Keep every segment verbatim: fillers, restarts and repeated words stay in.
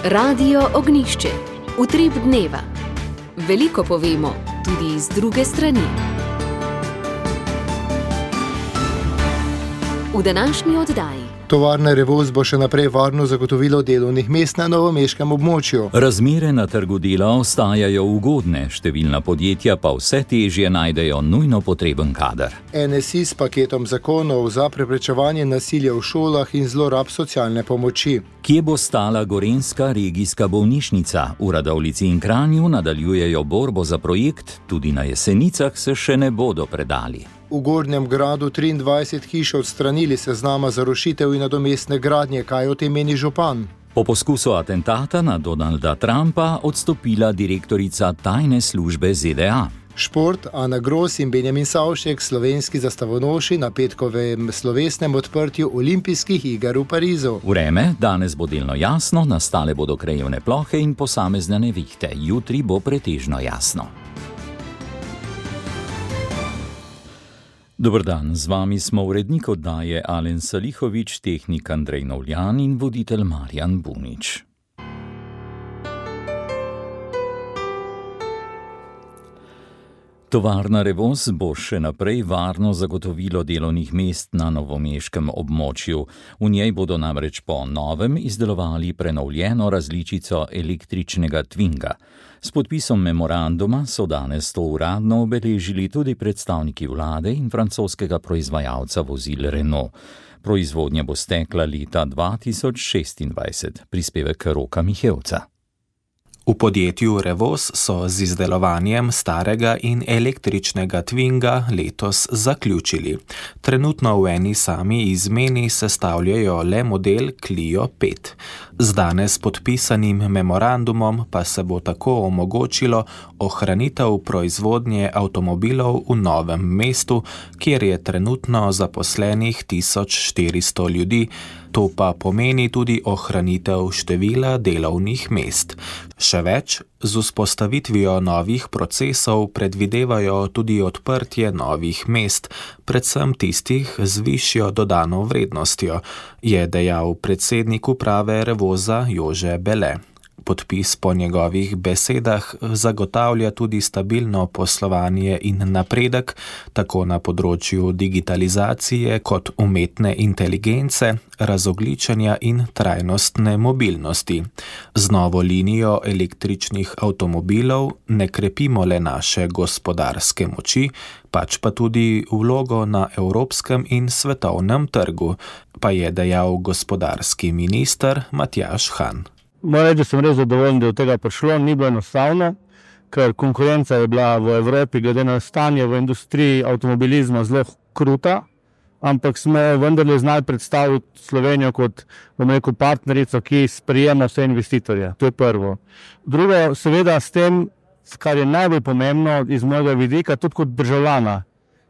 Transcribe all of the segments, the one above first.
Radio Ognjišče. Utrip dneva. Veliko povemo, tudi iz druge strani. V današnji oddaji. Tovarna Revoz bo še naprej varno zagotovilo delovnih mest na novomeškem območju. Razmere na trgu dela ostajajo ugodne, številna podjetja pa vse težje najdejo nujno potreben kader. N S I s paketom zakonov za preprečevanje nasilja v šolah in zlorab socialne pomoči. Kje bo stala gorenjska regijska bolnišnica? V Radovljici in Kranju nadaljujejo borbo za projekt, tudi na Jesenicah se še ne bodo predali. V Gornjem Gradu triindvajset hiš odstranili seznama za rušitev in nadomestne gradnje, kaj o tem meni župan. Po poskusu atentata na Donalda Trumpa odstopila direktorica tajne službe Z D A. Šport, Ana Gros in Benjamin Savšek, slovenski zastavonoši na petkovem slovesnem odprtju olimpijskih iger v Parizu. Vreme, danes bo delno jasno, nastale bodo krajevne plohe in posamezne nevihte. Jutri bo pretežno jasno. Dober dan, z vami smo urednik oddaje Alen Salihovič, tehnik Andrej Novljan in voditelj Marjan Bunič. Tovarna Revoz bo še naprej varno zagotovilo delovnih mest na novomeškem območju. V njej bodo namreč po novem izdelovali prenovljeno različico električnega Twinga. S podpisom memoranduma so danes to uradno obeležili tudi predstavniki vlade in francoskega proizvajalca vozil Renault. Proizvodnja bo stekla leta dva tisoč šestindvajset, prispevek Roka Mihevca. V podjetju Revoz so z izdelovanjem starega in električnega Twinga letos zaključili. Trenutno v eni sami izmeni sestavljajo le model Clio pet. Z danes podpisanim memorandumom pa se bo tako omogočilo ohranitev proizvodnje avtomobilov v Novem mestu, kjer je trenutno zaposlenih tisoč štiristo ljudi. To pa pomeni tudi ohranitev števila delovnih mest. Še več, z vzpostavitvijo novih procesov predvidevajo tudi odprtje novih mest, predvsem tistih z višjo dodano vrednostjo, je dejal predsednik uprave Revoza Jože Bele. Podpis po njegovih besedah zagotavlja tudi stabilno poslovanje in napredek, tako na področju digitalizacije kot umetne inteligence, razogličenja in trajnostne mobilnosti. Z novo linijo električnih avtomobilov ne krepimo le naše gospodarske moči, pač pa tudi vlogo na evropskem in svetovnem trgu, pa je dejal gospodarski minister Matjaž Han. Moram reči, da sem res zadovoljen, da je od tega prišlo, ni bilo enostavno, ker konkurenca je bila v Evropi glede na stanje v industriji avtomobilizma zelo kruta, ampak smo vendarle znali predstaviti Slovenijo kot, bom rekel, partnerico, ki sprejema vse investitorje. To je prvo. Drugo, seveda s tem, kar je najbolj pomembno iz mojega vidika, tudi kot državljana.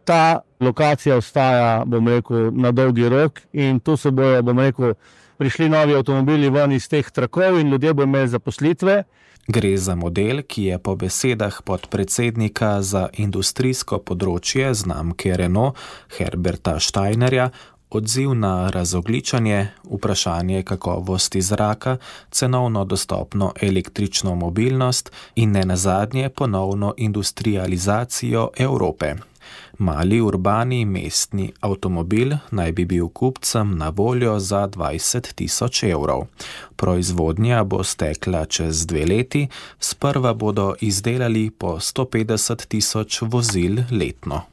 Ta lokacija ostaja, bom rekel, na dolgi rok in tu se bojo, bom rekel, prišli novi avtomobili ven iz teh trakov in ljudje bodo imeli zaposlitve. Gre za model, ki je po besedah podpredsednika za industrijsko področje znamke Renault Herberta Steinerja odziv na razogličenje, vprašanje kakovosti zraka, cenovno dostopno električno mobilnost in nenazadnje ponovno industrializacijo Evrope. Mali urbani mestni avtomobil naj bi bil kupcem na voljo za dvajset tisoč evrov. Proizvodnja bo stekla čez dve leti, sprva bodo izdelali po sto petdeset tisoč vozil letno.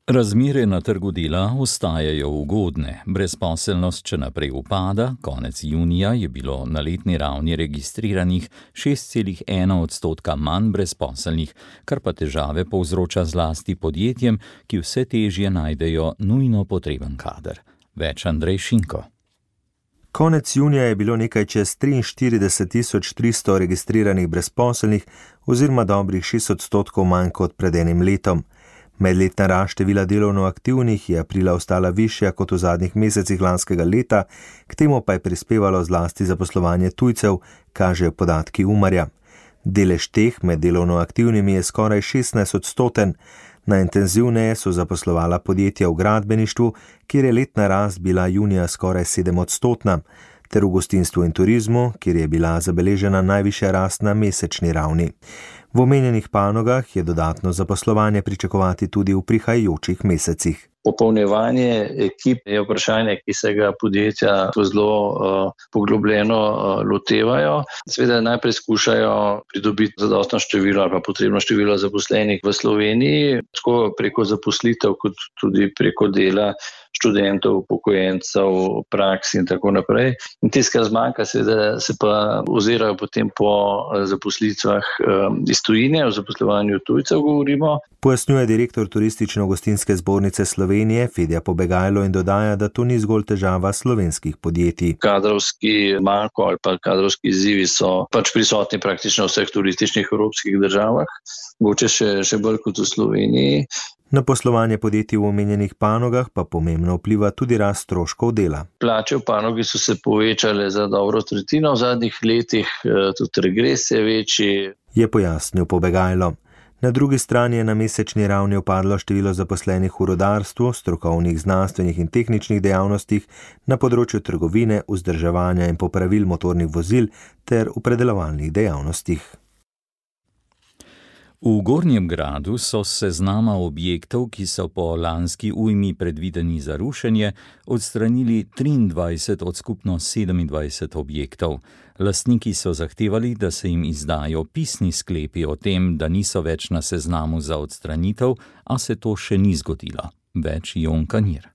Razmere na trgu dela ostajajo ugodne. Brezposelnost še naprej upada, konec junija je bilo na letni ravni registriranih šest celih ena odstotka manj brezposelnih, kar pa težave povzroča zlasti podjetjem, ki vse težje najdejo nujno potreben kader. Več Andrej Šinko. Konec junija je bilo nekaj čez triinštirideset tisoč tristo registriranih brezposelnih oziroma dobrih šest odstotkov manj kot pred enim letom. Medletna rast števila delovno aktivnih je aprila ostala višja kot v zadnjih mesecih lanskega leta, k temu pa je prispevalo zlasti zaposlovanje tujcev, kažejo podatki Umarja. Delež teh med delovno aktivnimi je skoraj šestnajst odstoten. Najintenzivneje so zaposlovala podjetja v gradbeništvu, kjer je letna rast bila junija skoraj sedem odstotna. ter v gostinstvu in turizmu, kjer je bila zabeležena najvišja rast na mesečni ravni. V omenjenih panogah je dodatno zaposlovanje pričakovati tudi v prihajajočih mesecih. Popolnjevanje ekip je vprašanje, ki se ga podjetja zelo uh, poglobljeno uh, lotevajo. Seveda najprej skušajo pridobiti zadostno število ali pa potrebno število zaposlenih v Sloveniji, tako preko zaposlitev kot tudi preko dela študentov, upokojencev, praks in tako naprej. In tisto, kar zmanjka, seveda se pa ozirajo potem po zaposlitvah um, iz tujine, o zaposlovanju tujcev govorimo. Pojasnjuje direktor Turistično-gostinske zbornice Slovenije Fedja Pobegajlo in dodaja, da to ni zgolj težava slovenskih podjetij. Kadrovski manko ali pa kadrovski izzivi so pač prisotni praktično v vseh turističnih evropskih državah, mogoče še, še bolj kot v Sloveniji. Na poslovanje podjetij v omenjenih panogah pa pomembno vpliva tudi rast stroškov dela. Plače v panogi so se povečale za dobro tretjino v zadnjih letih, tudi regres je večji. Je pojasnil Pobegajlo. Na drugi strani je na mesečni ravni upadlo število zaposlenih v rodarstvu, strokovnih, znanstvenih in tehničnih dejavnostih, na področju trgovine, vzdrževanja in popravil motornih vozil ter v predelovalnih dejavnostih. V Gornjem Gradu so s seznama objektov, ki so po lanski ujmi predvideni za rušenje, odstranili triindvajset od skupno sedemindvajset objektov. Lastniki so zahtevali, da se jim izdajo pisni sklepi o tem, da niso več na seznamu za odstranitev, a se to še ni zgodilo. Več Jon Kanir.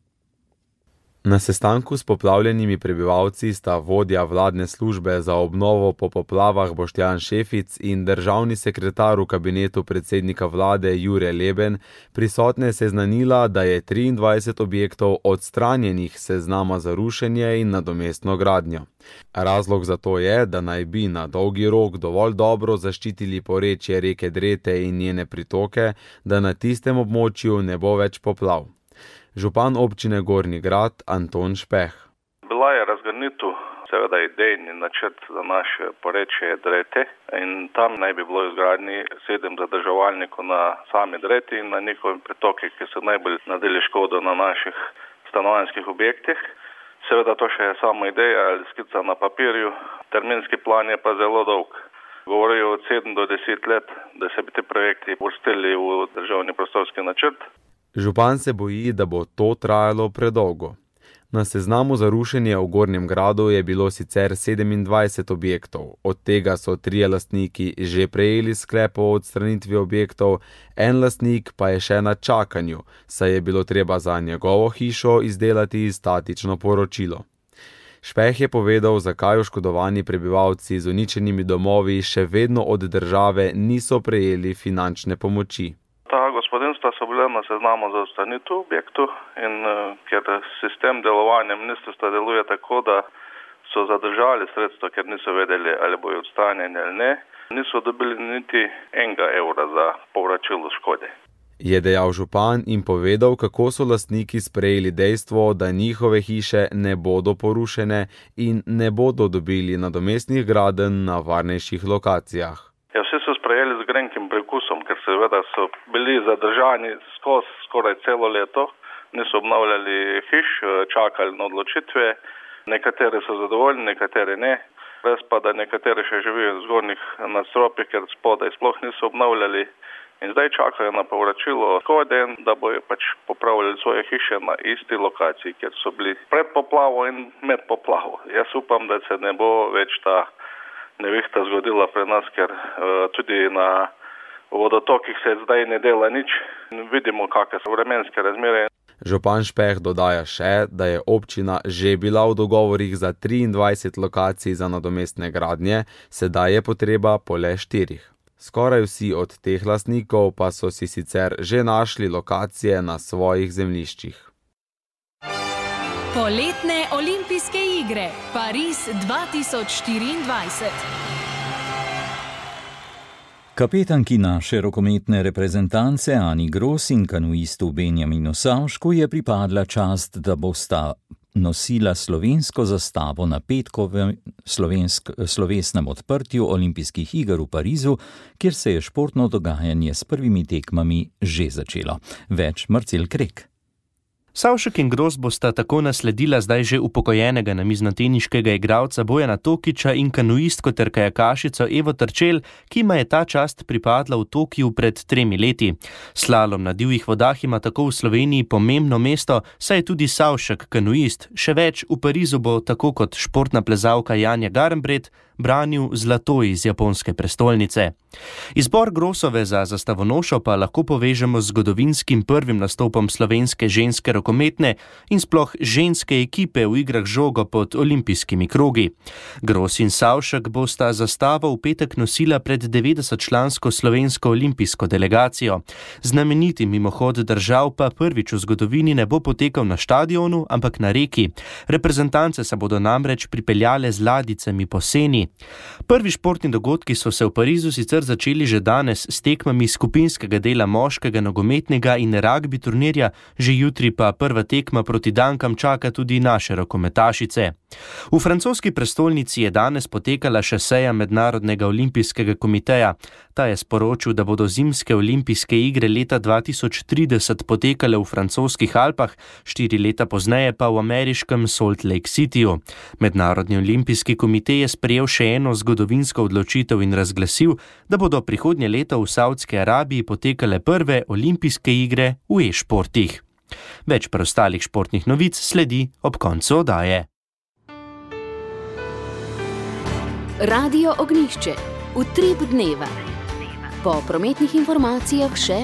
Na sestanku s poplavljenimi prebivalci sta vodja vladne službe za obnovo po poplavah Boštjan Šefic in državni sekretar v kabinetu predsednika vlade Jure Leben prisotne seznanila, da je triindvajset objektov odstranjenih seznama za rušenje in nadomestno gradnjo. Razlog za to je, da naj bi na dolgi rok dovolj dobro zaščitili porečje reke Drete in njene pritoke, da na tistem območju ne bo več poplav. Župan občine Gornji Grad Anton Špeh. Bila je razgrnitev, seveda idejni načrt za naše porečje Drete in tam naj bi bilo izgradnji sedem zadrževalnikov na sami Dreti in na njihovim pritoki, ki so najbolj nadeli škodo na naših stanovanjskih objektih. Seveda to še je samo ideja ali skica na papirju, terminski plan je pa zelo dolg. Govorijo od sedem do deset let, da se bi ti projekti uvrstili v državni prostorski načrt. Župan se boji, da bo to trajalo predolgo. Na seznamu za rušenje v Gornjem Gradu je bilo sicer sedemindvajset objektov, od tega so trije lastniki že prejeli sklep o odstranitvi objektov, en lastnik pa je še na čakanju, saj je bilo treba za njegovo hišo izdelati statično poročilo. Špeh je povedal, zakaj oškodovani prebivalci z uničenimi domovi še vedno od države niso prejeli finančne pomoči. Ta gospodinstva so bile na seznamu za odstranitev objektov in uh, ker sistem delovanja ministrstva deluje tako, da so zadržali sredstva, ker niso vedeli, ali bojo odstranjeni ali ne, niso dobili niti enega evra za povračilo škode. Je dejal župan in povedal, kako so lastniki sprejeli dejstvo, da njihove hiše ne bodo porušene in ne bodo dobili nadomestnih gradenj na varnejših lokacijah. Ja, vsi so sprejeli z grenkim prekusom, ker seveda so bili zadržani skozi skoraj celo leto, niso obnavljali hiš, čakali na odločitve, nekateri so zadovoljni, nekateri ne, res pa da nekateri še živijo v zgornjih nadstropjih, ker spodaj sploh niso obnavljali in zdaj čakajo na povračilo škode, da bojo pač popravljali svoje hiše na isti lokaciji, kjer so bili pred poplavo in med poplavo. Jaz upam, da se ne bo več ta nevihta zgodila pri nas, ker uh, tudi na vodotokih se zdaj ne dela nič. Vidimo, kakšne so vremenske razmere. Župan Špeh dodaja še, da je občina že bila v dogovorih za triindvajset lokacij za nadomestne gradnje, sedaj je potreba po le štirih. Skoraj vsi od teh lastnikov pa so si sicer že našli lokacije na svojih zemljiščih. Poletne olimpijske igre Pariz dva tisoč štiriindvajset. Kapetanki naše rokometne reprezentance Ani Gros in kanuistu Benjaminu Savšku je pripadla čast, da bosta nosila slovensko zastavo na petkovem slovensk, slovesnem odprtju olimpijskih iger v Parizu, kjer se je športno dogajanje s prvimi tekmami že začelo. Več Marcel Krek. Savšek in Gros bosta tako nasledila zdaj že upokojenega namiznoteniškega igralca Bojana Tokiča in kanuistko ter kajakašico Evo Trčel, ki ima je ta čast pripadla v Tokiju pred tremi leti. Slalom na divjih vodah ima tako v Sloveniji pomembno mesto, saj je tudi Savšek kanuist. Še več, v Parizu bo tako kot športna plezalka Janja Garnbret branil zlato iz japonske prestolnice. Izbor Grosove za zastavonošo pa lahko povežemo z zgodovinskim prvim nastopom slovenske ženske rokometne in sploh ženske ekipe v igrah žogo pod olimpijskimi krogi. Gros in Savšek bosta zastavo v petek nosila pred devetdesetčlansko slovensko olimpijsko delegacijo. Znameniti mimohod držav pa prvič v zgodovini ne bo potekal na štadionu, ampak na reki. Reprezentance se bodo namreč pripeljale z ladjicami po Seni. Prvi športni dogodki so se v Parizu sicer začeli že danes s tekmami skupinskega dela moškega nogometnega in ragbi turnirja, že jutri pa prva tekma proti Dankam čaka tudi naše rokometašice. V francoski prestolnici je danes potekala še seja Mednarodnega olimpijskega komiteja. Ta je sporočil, da bodo zimske olimpijske igre leta dva tisoč trideset potekale v francoskih Alpah, štiri leta pozneje pa v ameriškem Salt Lake Cityju. Mednarodni olimpijski komitej je sprejel še eno zgodovinsko odločitev in razglasil, da bodo prihodnje leto v Saudski Arabiji potekale prve olimpijske igre v e-športih. Več preostalih športnih novic sledi ob koncu oddaje. Radio Ognjišče, utrip dneva. Po prometnih informacijah še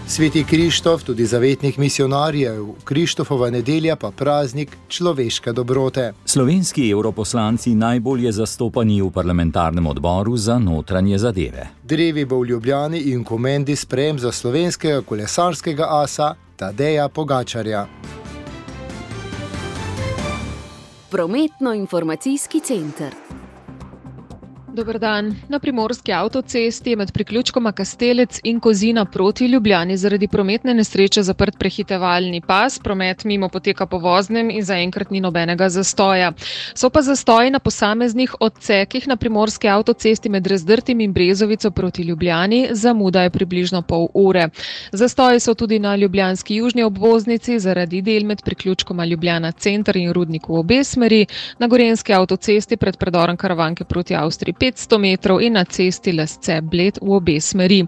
Sveti Krištof, tudi zavetnih misionarjev, Krištofova nedelja pa praznik človeške dobrote. Slovenski evroposlanci najbolje zastopani v parlamentarnem odboru za notranje zadeve. Drevi bo v Ljubljani in Komendi sprejem za slovenskega kolesarskega asa Tadeja Pogačarja. Prometno-informacijski center. Dober dan. Na primorski avtocesti je med priključkoma Kastelec in Kozina proti Ljubljani zaradi prometne nesreče zaprt prehitevalni pas. Promet mimo poteka po voznem in zaenkrat ni nobenega zastoja. So pa zastoji na posameznih odsekih na primorski avtocesti med Razdrtim in Brezovico proti Ljubljani. Zamuda je približno pol ure. Zastoji so tudi na ljubljanski južni obvoznici zaradi del med priključkoma Ljubljana center in Rudnik v obe smeri, na gorenski avtocesti pred predorom Karavanke proti Avstriji petsto metrov in na cesti Lesce-Bled v obe smeri.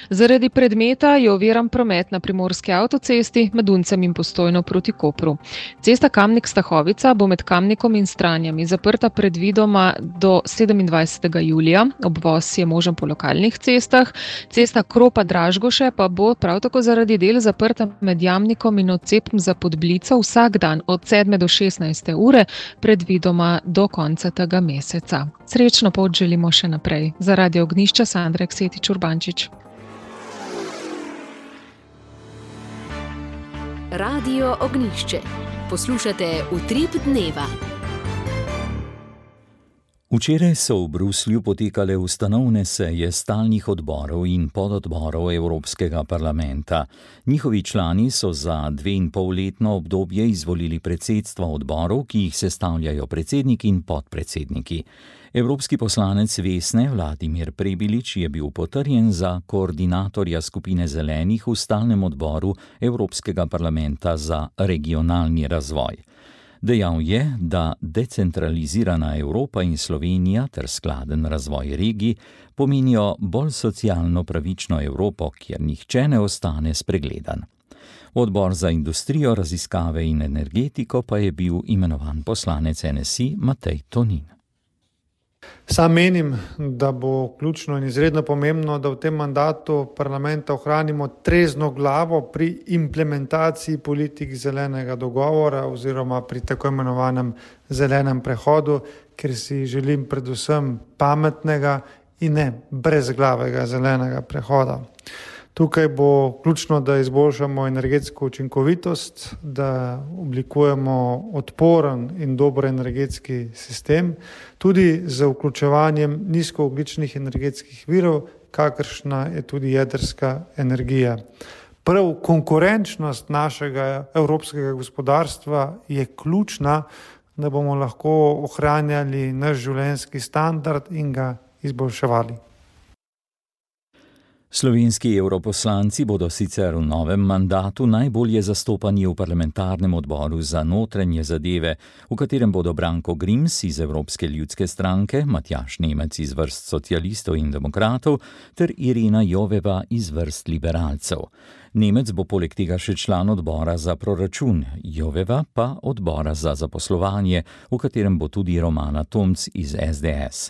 Zaradi predmeta je oviran promet na primorski avtocesti med Uncem in Postojno proti Kopru. Cesta Kamnik-Stahovica bo med Kamnikom in Stranjami zaprta predvidoma do sedemindvajsetega julija. Obvoz je možen po lokalnih cestah. Cesta Kropa-Dražgoše pa bo prav tako zaradi del zaprta med Jamnikom in odcepom za Podblico vsak dan od sedme do šestnajste ure, predvidoma do konca tega meseca. Srečno pot želimo še naprej. Za Radio Ognjišče Sandra Eksetič Urbančič. Radio Ognjišče. Poslušate Utrip dneva. Včeraj so v Bruslju potekale ustanovne seje stalnih odborov in pododborov Evropskega parlamenta. Njihovi člani so za dveinpolletno obdobje izvolili predsedstva odborov, ki jih sestavljajo predsednik in podpredsedniki. Evropski poslanec Vesne Vladimir Prebilič je bil potrjen za koordinatorja skupine zelenih v stalnem odboru Evropskega parlamenta za regionalni razvoj. Dejal je, da decentralizirana Evropa in Slovenija ter skladen razvoj regij pomenijo bolj socialno pravično Evropo, kjer nihče ne ostane spregledan. V odbor za industrijo, raziskave in energetiko pa je bil imenovan poslanec N S I Matej Tonin. Sam menim, da bo ključno in izredno pomembno, da v tem mandatu parlamenta ohranimo trezno glavo pri implementaciji politik zelenega dogovora oziroma pri tako imenovanem zelenem prehodu, ker si želim predvsem pametnega in ne brezglavega zelenega prehoda. Tukaj bo ključno, da izboljšamo energetsko učinkovitost, da oblikujemo odporen in dober energetski sistem, tudi z vključevanjem nizkoogljičnih energetskih virov, kakršna je tudi jedrska energija. Prav konkurenčnost našega evropskega gospodarstva je ključna, da bomo lahko ohranjali naš življenjski standard in ga izboljševali. Slovenski evroposlanci bodo sicer v novem mandatu najbolje zastopani v parlamentarnem odboru za notranje zadeve, v katerem bodo Branko Grims iz Evropske ljudske stranke, Matjaž Nemec iz vrst socialistov in demokratov ter Irena Joveva iz vrst liberalcev. Nemec bo poleg tega še član odbora za proračun, Joveva pa odbora za zaposlovanje, v katerem bo tudi Romana Tomc iz es de es.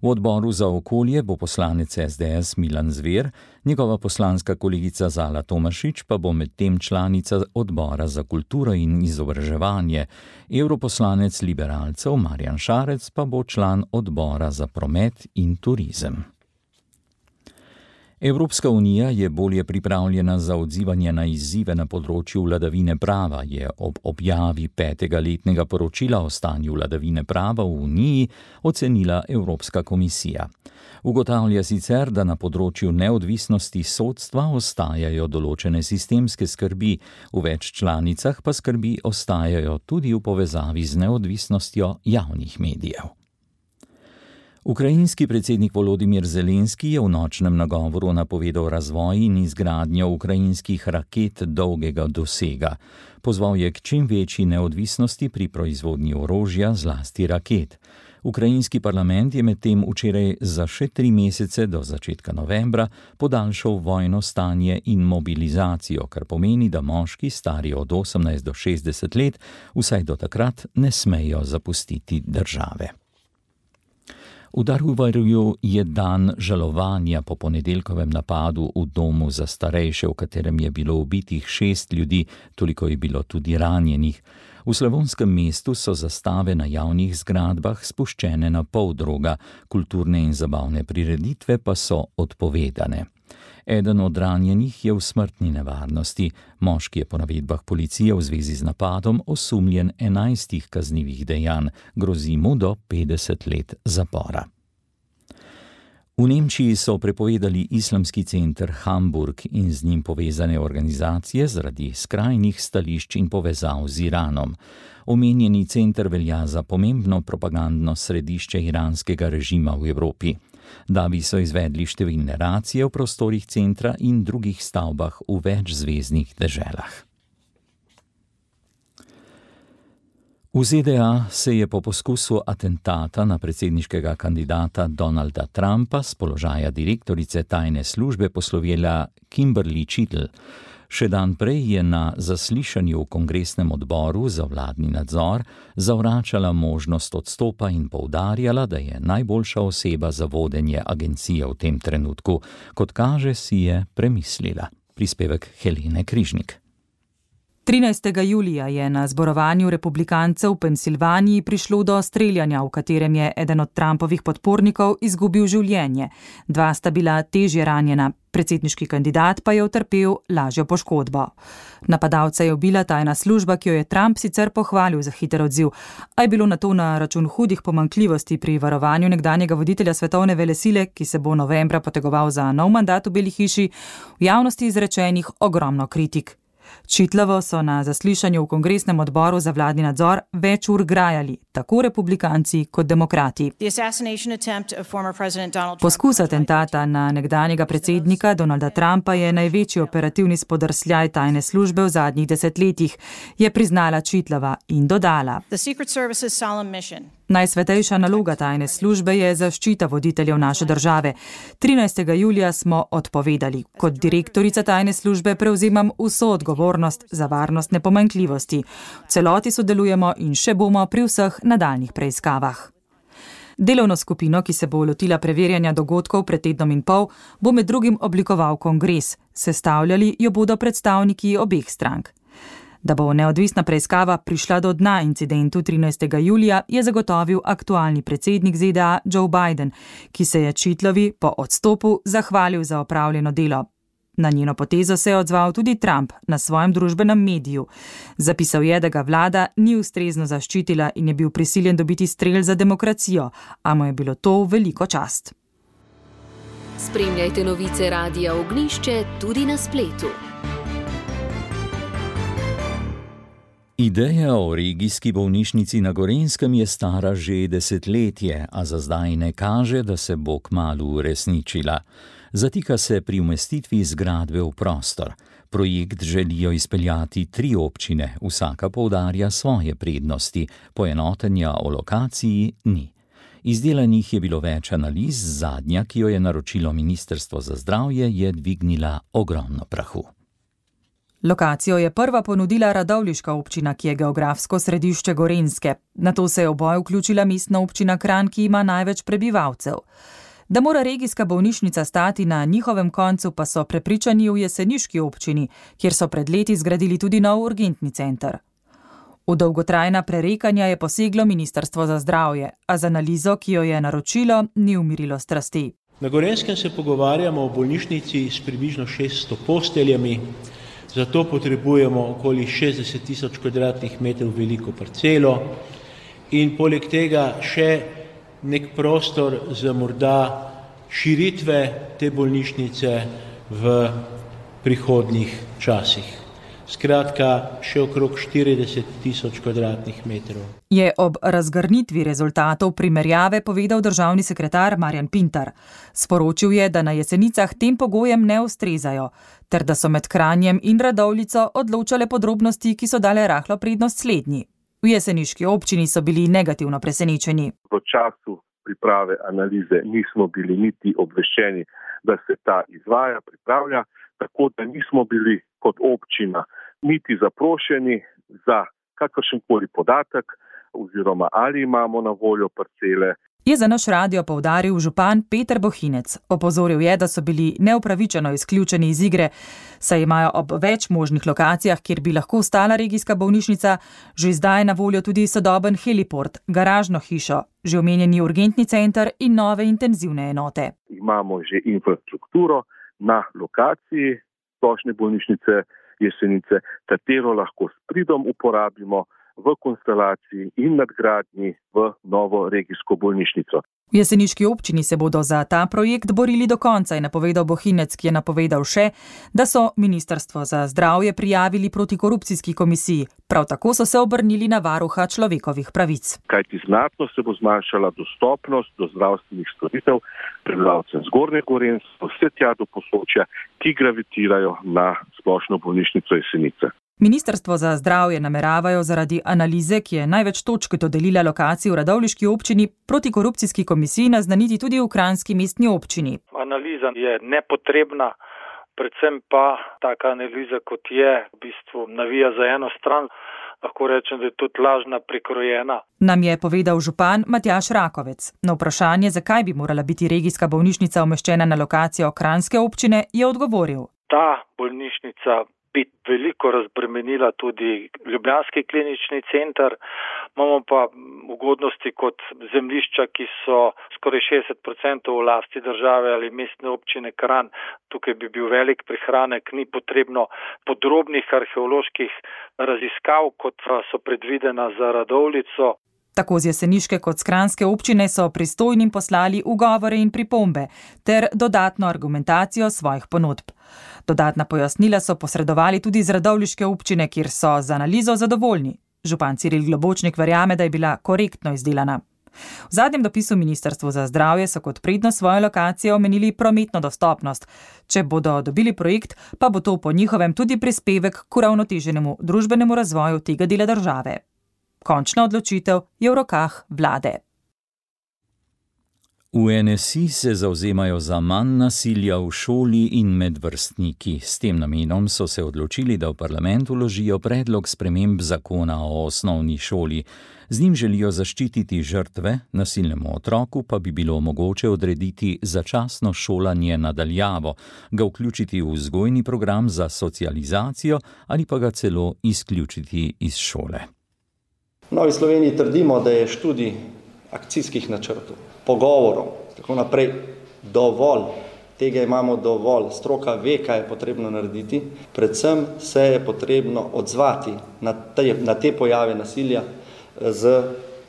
V odboru za okolje bo poslanec es de es Milan Zver, njegova poslanska kolegica Zala Tomašič pa bo medtem članica odbora za kulturo in izobraževanje. Evroposlanec liberalcev Marjan Šarec pa bo član odbora za promet in turizem. Evropska unija je bolje pripravljena za odzivanje na izzive na področju vladavine prava, je ob objavi petega letnega poročila o stanju vladavine prava v Uniji ocenila Evropska komisija. Ugotavlja sicer, da na področju neodvisnosti sodstva ostajajo določene sistemske skrbi, v več članicah pa skrbi ostajajo tudi v povezavi z neodvisnostjo javnih medijev. Ukrajinski predsednik Volodimir Zelenski je v nočnem nagovoru napovedal razvoj in izgradnjo ukrajinskih raket dolgega dosega. Pozval je k čim večji neodvisnosti pri proizvodnji orožja, zlasti raket. Ukrajinski parlament je medtem včeraj za še tri mesece do začetka novembra podaljšal vojno stanje in mobilizacijo, kar pomeni, da moški stari od osemnajst do šestdeset let vsaj do takrat ne smejo zapustiti države. V Daruvarju je dan žalovanja po ponedeljkovem napadu v domu za starejše, v katerem je bilo ubitih šest ljudi, toliko je bilo tudi ranjenih. V slavonskem mestu so zastave na javnih zgradbah spuščene na pol droga, kulturne in zabavne prireditve pa so odpovedane. Eden od ranjenih je v smrtni nevarnosti. Moški je po navedbah policije v zvezi z napadom osumljen enajstih kaznivih dejanj, grozi mu do petdeset let zapora. V Nemčiji so prepovedali islamski center Hamburg in z njim povezane organizacije zaradi skrajnih stališč in povezav z Iranom. Omenjeni center velja za pomembno propagandno središče iranskega režima v Evropi. Davi so izvedli številne racije v prostorih centra in drugih stavbah v več zveznih deželah. V ze de a se je po poskusu atentata na predsedniškega kandidata Donalda Trumpa s položaja direktorice tajne službe poslovila Kimberly Chittle. Še dan prej je na zaslišanju v kongresnem odboru za vladni nadzor zavračala možnost odstopa in poudarjala, da je najboljša oseba za vodenje agencije v tem trenutku. Kot kaže, si je premislila. Prispevek Helene Križnik. trinajstega julija je na zborovanju republikancev v Pensilvaniji prišlo do streljanja, v katerem je eden od Trumpovih podpornikov izgubil življenje. Dva sta bila težje ranjena, predsedniški kandidat pa je utrpel lažjo poškodbo. Napadalca je ubila tajna služba, ki jo je Trump sicer pohvalil za hiter odziv, a je bilo na to na račun hudih pomanjkljivosti pri varovanju nekdanjega voditelja svetovne velesile, ki se bo novembra potegoval za nov mandat v Beli hiši, v javnosti izrečenih ogromno kritik. Čitlavo so na zaslišanju v kongresnem odboru za vladni nadzor več ur grajali, tako republikanci kot demokrati. Poskus atentata na nekdanjega predsednika Donalda Trumpa je največji operativni spodrsljaj tajne službe v zadnjih desetletjih, je priznala Čitlava in dodala. Najsvetejša naloga tajne službe je zaščita voditeljev naše države. trinajstega julija smo odpovedali. Kot direktorica tajne službe prevzemam vso odgovornost za varnostne pomanjkljivosti. V celoti sodelujemo in še bomo pri vseh nadaljnjih preiskavah. Delovno skupino, ki se bo lotila preverjanja dogodkov pred tednom in pol, bo med drugim oblikoval kongres. Sestavljali jo bodo predstavniki obeh strank. Da bo neodvisna preiskava prišla do dna incidentu trinajstega julija, je zagotovil aktualni predsednik ze de a Joe Biden, ki se je Čitlovi po odstopu zahvalil za opravljeno delo. Na njeno potezo se je odzval tudi Trump na svojem družbenem mediju. Zapisal je, da ga vlada ni ustrezno zaščitila in je bil prisiljen dobiti strel za demokracijo, a mu je bilo to veliko čast. Spremljajte novice Radia Ognjišče tudi na spletu. Ideja o regijski bolnišnici na Gorenjskem je stara že desetletje, a za zdaj ne kaže, da se bo kmalu uresničila. Zatika se pri umestitvi zgradbe v prostor. Projekt želijo izpeljati tri občine, vsaka poudarja svoje prednosti, poenotenja o lokaciji ni. Izdelanih je bilo več analiz, zadnja, ki jo je naročilo Ministrstvo za zdravje, je dvignila ogromno prahu. Lokacijo je prva ponudila radovljiška občina, ki je geografsko središče Gorenjske. Nato se je v boj vključila mestna občina Kranj, ki ima največ prebivalcev. Da mora regijska bolnišnica stati na njihovem koncu, pa so prepričani v jeseniški občini, kjer so pred leti zgradili tudi nov urgentni center. V dolgotrajna prerekanja je poseglo Ministrstvo za zdravje, a z analizo, ki jo je naročilo, ni umirilo strasti. Na Gorenjskem se pogovarjamo o bolnišnici s približno šeststo posteljami, zato potrebujemo okoli šestdeset tisoč kvadratnih metrov veliko parcelo in poleg tega še nek prostor za morda širitve te bolnišnice v prihodnjih časih. Skratka, še okrog štirideset tisoč kvadratnih metrov. Je ob razgrnitvi rezultatov primerjave povedal državni sekretar Marjan Pintar. Sporočil je, da na Jesenicah tem pogojem ne ustrezajo, ter da so med Kranjem in Radovljico odločale podrobnosti, ki so dale rahlo prednost slednji. V jeseniški občini so bili negativno presenečeni. V času priprave analize nismo bili niti obveščeni, da se ta izvaja, pripravlja, tako da nismo bili kot občina niti zaprošeni za kakršenkoli podatek oziroma ali imamo na voljo parcele. Je za naš radio poudaril župan Peter Bohinec. Opozoril je, da so bili neupravičeno izključeni iz igre, saj imajo ob več možnih lokacijah, kjer bi lahko stala regijska bolnišnica, že zdaj na voljo tudi sodoben heliport, garažno hišo, že omenjeni urgentni center in nove intenzivne enote. Imamo že infrastrukturo na lokaciji splošne bolnišnice Jesenice, katero lahko s pridom uporabimo v konstelaciji in nadgradnji v novo regijsko bolnišnico. V jeseniški občini se bodo za ta projekt borili do konca, je napovedal Bohinec, ki je napovedal še, da so Ministrstvo za zdravje prijavili protikorupcijski komisiji. Prav tako so se obrnili na varuha človekovih pravic. Kajti znatno se bo zmanjšala dostopnost do zdravstvenih storitev prebivalcem Zgornje Gorenjske, vse tja do Posočja, ki gravitirajo na splošno bolnišnico Jesenice. Ministrstvo za zdravje nameravajo zaradi analize, ki je največ točk dodelila lokaciji v radovljiški občini, protikorupcijski komisiji naznaniti tudi v kranjski mestni občini. Analiza je nepotrebna, predvsem pa taka analiza, kot je, v bistvu navija za eno stran, lahko rečem, da je tudi lažna, prikrojena. Nam je povedal župan Matjaž Rakovec. Na vprašanje, zakaj bi morala biti regijska bolnišnica umeščena na lokacijo kranjske občine, je odgovoril. Ta bolnišnica bi veliko razbremenila tudi ljubljanski klinični center, imamo pa ugodnosti kot zemljišča, ki so skoraj šestdeset procentov v lasti države ali mestne občine Kranj. Tukaj bi bil velik prihranek, ni potrebno podrobnih arheoloških raziskav, kot so predvidena za Radovljico. Tako z jeseniške kot z kranjske občine so pristojnim poslali ugovore in pripombe ter dodatno argumentacijo svojih ponudb. Dodatna pojasnila so posredovali tudi z radovljiške občine, kjer so z analizo zadovoljni. Župan Ciril Globočnik verjame, da je bila korektno izdelana. V zadnjem dopisu Ministrstvu za zdravje so kot prednost svoje lokacije omenili prometno dostopnost. Če bodo dobili projekt, pa bo to po njihovem tudi prispevek k uravnoteženemu družbenemu razvoju tega dela države. Končna odločitev je v rokah vlade. V N S I se zavzemajo za manj nasilja v šoli in med vrstniki. S tem namenom so se odločili, da v parlament vložijo predlog sprememb zakona o osnovni šoli. Z njim želijo zaščititi žrtve, nasilnemu otroku pa bi bilo mogoče odrediti začasno šolanje nadaljavo, ga vključiti v vzgojni program za socializacijo ali pa ga celo izključiti iz šole. V Novi Sloveniji trdimo, da je študij akcijskih načrtov, pogovorov, tako naprej dovolj, tega imamo dovolj, stroka ve, kaj je potrebno narediti, predvsem se je potrebno odzvati na te, na te pojave nasilja z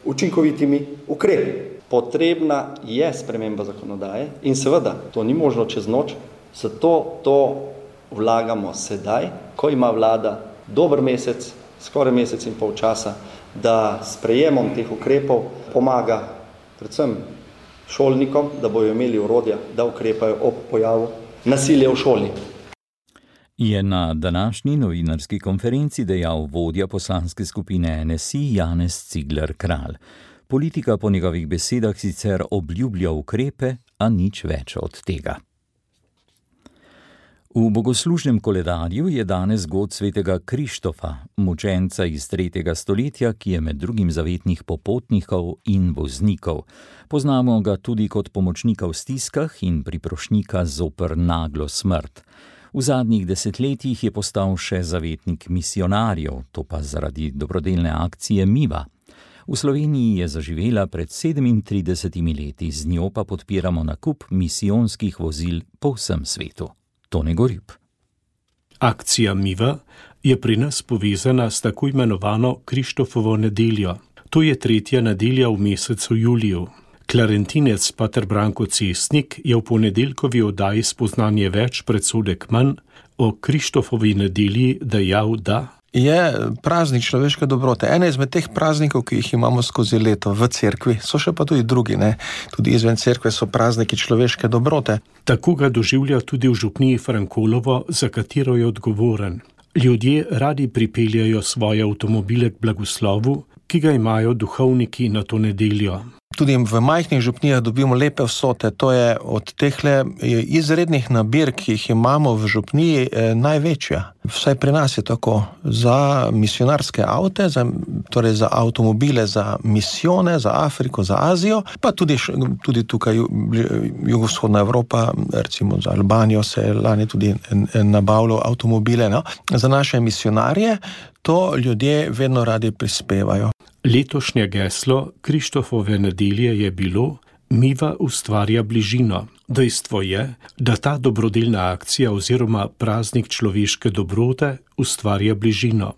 učinkovitimi ukrepi. Potrebna je sprememba zakonodaje in seveda to ni možno čez noč, zato to vlagamo sedaj, ko ima vlada dober mesec, skoraj mesec in pol časa, da s sprejemom teh ukrepov pomaga predvsem šolnikom, da bojo imeli orodja, da ukrepajo ob pojavu nasilja v šoli. Je na današnji novinarski konferenci dejal vodja poslanske skupine N S I Janez Cigler Kralj. Politika po njegovih besedah sicer obljublja ukrepe, a nič več od tega. V bogoslužnem koledarju je danes god svetega Krištofa, mučenca iz tretjega stoletja, ki je med drugim zavetnih popotnikov in voznikov. Poznamo ga tudi kot pomočnika v stiskah in priprošnjika zoper naglo smrt. V zadnjih desetletjih je postal še zavetnik misionarjev, to pa zaradi dobrodelne akcije Miva. V Sloveniji je zaživela pred sedemintridesetimi leti, z njo pa podpiramo nakup misijonskih vozil po vsem svetu. Tone Gorjup. Akcija Miva je pri nas povezana s tako imenovano Krištofovo nedeljo. To je tretja nedelja v mesecu juliju. Klarentinec pater Branko Cestnik je v ponedeljkovi oddaji Spoznanje več, predsodek manj o Krištofovi nedelji dejal, da je praznik človeške dobrote. Ene izmed teh praznikov, ki jih imamo skozi leto v cerkvi, so še pa tudi drugi, ne? Tudi izven cerkve so prazniki človeške dobrote. Tako ga doživlja tudi v župniji Frankolovo, za katero je odgovoren. Ljudje radi pripeljajo svoje avtomobile k blagoslovu, ki ga imajo duhovniki na to nedeljo. Tudi v majhnih župnijah dobimo lepe vsote, to je od tehle izrednih nabirk, ki jih imamo v župniji, največja. Vsaj pri nas je tako. Za misionarske avte, za, torej za avtomobile, za misijone, za Afriko, za Azijo, pa tudi, tudi tukaj jugovzhodna Evropa, recimo za Albanijo se je lani tudi nabavilo avtomobile. No? Za naše misionarje to ljudje vedno radi prispevajo. Letošnje geslo Krištofove nedelje je bilo Miva ustvarja bližino. Dejstvo je, da ta dobrodelna akcija oziroma praznik človeške dobrote ustvarja bližino.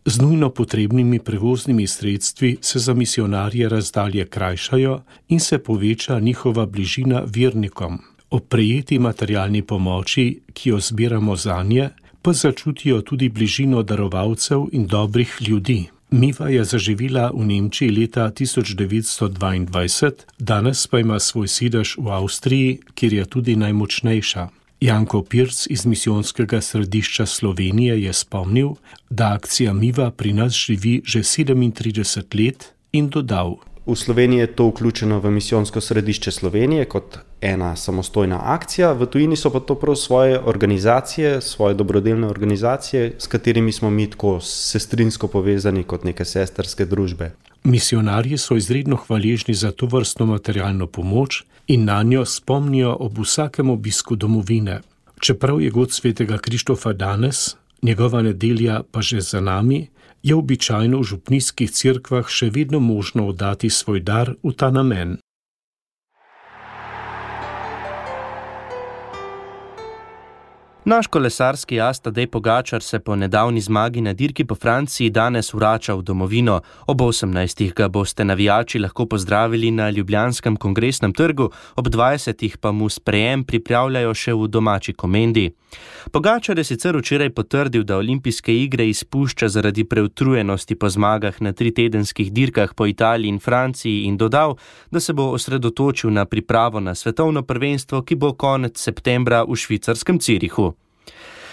Z nujno potrebnimi prevoznimi sredstvi se za misionarje razdalje krajšajo in se poveča njihova bližina vernikom. Ob prejeti materialni pomoči, ki jo zbiramo zanje, pa začutijo tudi bližino darovalcev in dobrih ljudi. Miva je zaživela v Nemčiji leta tisoč devetsto dvaindvajset, danes pa ima svoj sedež v Avstriji, kjer je tudi najmočnejša. Janko Pirc iz Misijonskega središča Slovenije je spomnil, da akcija Miva pri nas živi že sedemintrideset let in dodal. V Sloveniji je to vključeno v Misijonsko središče Slovenije kot ena samostojna akcija, v tujini so pa to prav svoje organizacije, svoje dobrodelne organizacije, s katerimi smo mi tako sestrinsko povezani kot neke sestrske družbe. Misionarji so izredno hvaležni za to vrstno materialno pomoč in na njo spomnijo ob vsakem obisku domovine. Čeprav je god svetega Krištofa danes, njegova nedelja pa že za nami, je običajno v župnijskih cerkvah še vedno možno oddati svoj dar v ta namen. Naš kolesarski as Tadej Pogačar se po nedavni zmagi na dirki po Franciji danes vrača v domovino. Ob osemnajstih ga boste navijači lahko pozdravili na Ljubljanskem kongresnem trgu, ob dvajsetih pa mu sprejem pripravljajo še v domači Komendi. Pogačar je sicer včeraj potrdil, da olimpijske igre izpušča zaradi preutrujenosti po zmagah na tritedenskih dirkah po Italiji in Franciji in dodal, da se bo osredotočil na pripravo na svetovno prvenstvo, ki bo konec septembra v švicarskem Cirihu.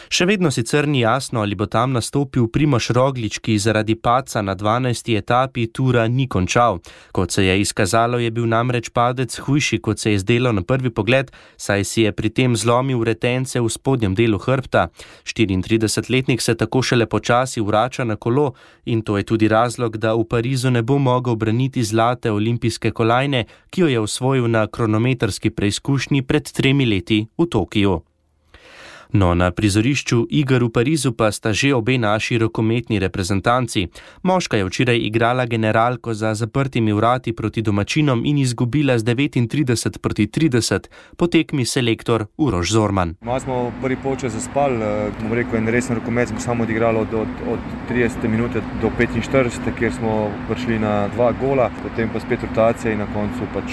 Še vedno sicer ni jasno, ali bo tam nastopil Primož Roglič, ki zaradi padca na dvanajsti etapi tura ni končal. Kot se je izkazalo, je bil namreč padec hujši, kot se je zdelo na prvi pogled, saj si je pri tem zlomil retence v spodnjem delu hrbta. štiriintridesetletnik se tako šele počasi vrača na kolo in to je tudi razlog, da v Parizu ne bo mogel braniti zlate olimpijske kolajne, ki jo je osvojil na kronometrski preizkušnji pred tremi leti v Tokiju. No, na prizorišču iger v Parizu pa sta že obe naši rokometni reprezentanci. Moška je včeraj igrala generalko za zaprtimi vrati proti domačinom in izgubila z devetintrideset proti trideset, po tekmi selektor Uroš Zorman. Malo smo prvi polčas zaspali, bom rekel, en resen rokomet smo samo odigrali od, od, od tridesete minute do petinštiridesete, kjer smo prišli na dva gola, potem pa spet rotacija in na koncu pač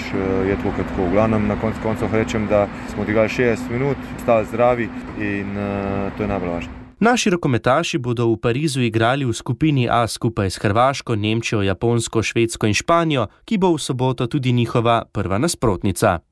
je tako kot tako. V glavnem na koncu koncev rečem, da smo odigrali šestdeset minut, stali zdravi in uh, to je najbolj važno. Naši rokometaši bodo v Parizu igrali v skupini A skupaj s Hrvaško, Nemčijo, Japonsko, Švedsko in Španijo, ki bo v soboto tudi njihova prva nasprotnica.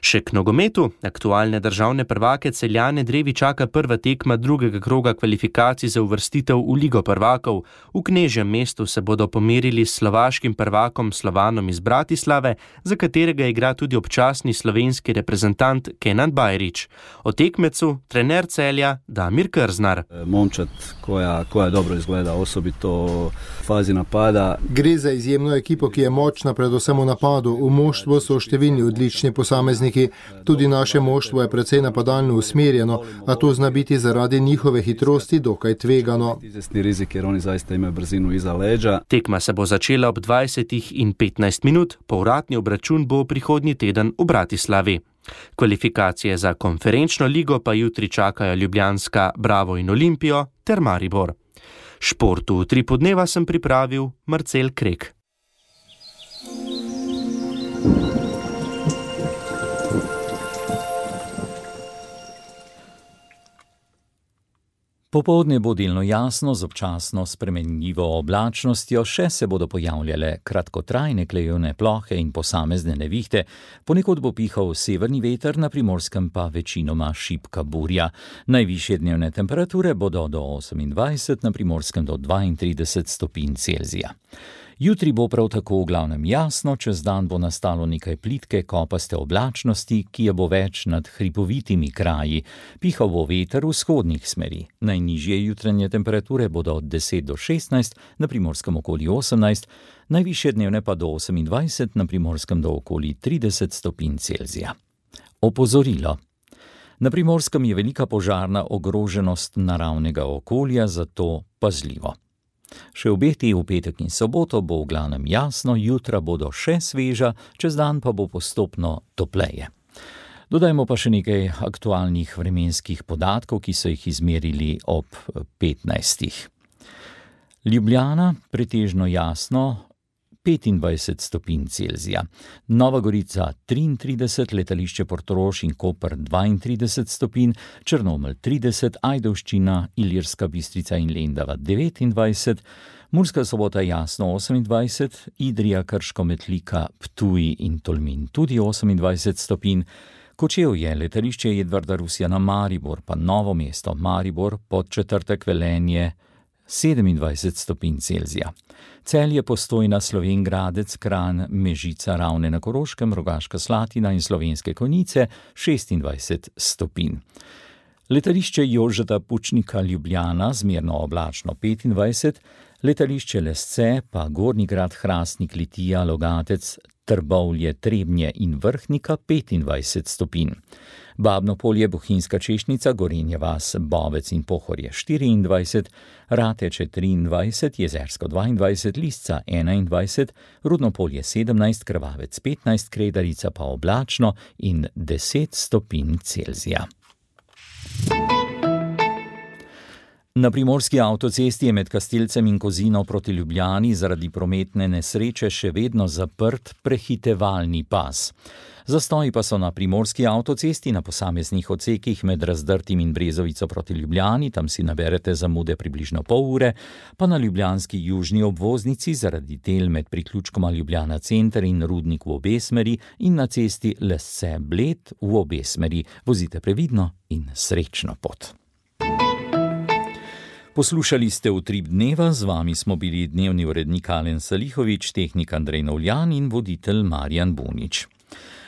Še k nogometu. Aktualne državne prvake Celjane Drevi čaka prva tekma drugega kroga kvalifikacij za uvrstitev v Ligo prvakov. V Knežjem mestu se bodo pomerili s slovaškim prvakom Slovanom iz Bratislave, za katerega igra tudi občasni slovenski reprezentant Kenan Bajrić. O tekmecu trener Celja Damir Krznar. Momčad koja, koja dobro izgleda, osobito v fazi napada. Gre za izjemno ekipo, ki je močna predvsem v napadu. V moštvu so številni odlični posamezniki. Tudi naše moštvo je precej napadalno usmerjeno, a to zna biti zaradi njihove hitrosti dokaj tvegano. Tekma se bo začela ob dvajsetih in petnajst minut, povratni obračun bo prihodnji teden v Bratislavi. Kvalifikacije za konferenčno ligo pa jutri čakajo ljubljanska Bravo in Olimpijo ter Maribor. Športu tri podneva sem pripravil Marcel Krek. Popoldne bo delno jasno z občasno spremenljivo oblačnostjo, še se bodo pojavljale kratkotrajne klejevne plohe in posamezne nevihte, ponekod bo pihal severni veter, na Primorskem pa večinoma šibka burja. Najvišje dnevne temperature bodo do osemindvajset, na Primorskem do dvaintrideset stopinj Celzija. Jutri bo prav tako v glavnem jasno, čez dan bo nastalo nekaj plitke kopaste oblačnosti, ki je bo več nad hripovitimi kraji. Pihal bo veter vzhodnih smeri. Najnižje jutranje temperature bodo od deset do šestnajst, na Primorskem okoli osemnajst, najvišje dnevne pa do osemindvajset, na Primorskem do okoli trideset stopinj Celzija. Opozorilo. Na Primorskem je velika požarna ogroženost naravnega okolja, zato pazljivo. Še obeti v petek in soboto bo v glavnem jasno, jutra bodo še sveža, čez dan pa bo postopno topleje. Dodajmo pa še nekaj aktualnih vremenskih podatkov, ki so jih izmerili ob petnajstih. Ljubljana pretežno jasno, petindvajset stopinj Celzija. Nova Gorica triintrideset, letališče Portorož in Koper dvaintrideset stopinj, Črnomelj trideset, Ajdovščina, Ilirska Bistrica in Lendava devetindvajset, Murska Sobota jasno osemindvajset, Idrija, Krško, Metlika, Ptuj in Tolmin tudi osemindvajset stopinj, Kočevje, letališče Edvarda Rusjana, Maribor pa Novo mesto, Maribor, Podčetrtek, Velenje sedemindvajset stopinj Celzija. Celje, Postojna, Slovenj Gradec, Kranj, Mežica, Ravne na Koroškem, Rogaška Slatina in Slovenske Konjice šestindvajset stopinj. Letališče Jožeta Pučnika, Ljubljana, zmerno oblačno petindvajset, letališče Lesce pa Gornji Grad, Hrastnik, Litija, Logatec, Trbovlje, Trebnje in Vrhnika petindvajset stopinj. Babno Polje, Bohinjska Češnica, Gorenje vas, Bovec in Pohorje štiriindvajset, Rateče triindvajset, Jezersko dvaindvajset, Lisca enaindvajset, Rudno Polje sedemnajst, Krvavec petnajst, Kredarica pa oblačno in deset stopinj Celzija. Na primorski avtocesti je med Kastelcem in Kozino proti Ljubljani zaradi prometne nesreče še vedno zaprt prehitevalni pas. Zastoji pa so na primorski avtocesti na posameznih odsekih med Razdrtim in Brezovico proti Ljubljani, tam si naberete zamude približno pol ure, pa na ljubljanski južni obvoznici zaradi del med priključkoma Ljubljana center in Rudnik v obe smeri in na cesti Lesce Bled v obe smeri. Vozite previdno in srečno pot. Poslušali ste Utrip dneva, z vami smo bili dnevni urednik Alen Salihovič, tehnik Andrej Novljan in voditelj Marjan Bunič.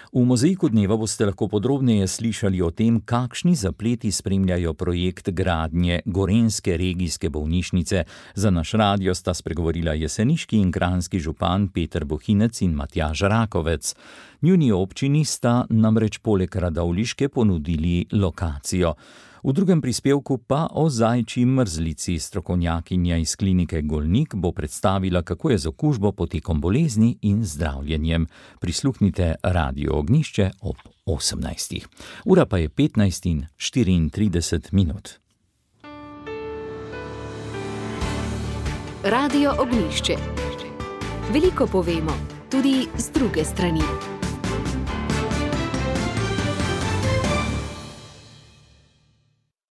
V Mozaiku dneva boste lahko podrobneje slišali o tem, kakšni zapleti spremljajo projekt gradnje Gorenjske regijske bolnišnice. Za naš radio sta spregovorila jeseniški in kranjski župan Peter Bohinec in Matjaž Rakovec. Njuni občini sta namreč poleg Radovljiške ponudili lokacijo. V drugem prispevku pa o zajčji mrzlici. Strokovnjakinja iz klinike Golnik bo predstavila, kako je z okužbo, potekom bolezni in zdravljenjem. Prisluhnite Radio Ognjišče ob osemnajstih. Ura pa je petnajst in štiriintrideset minut. Radio Ognjišče. Veliko povemo, tudi z druge strani.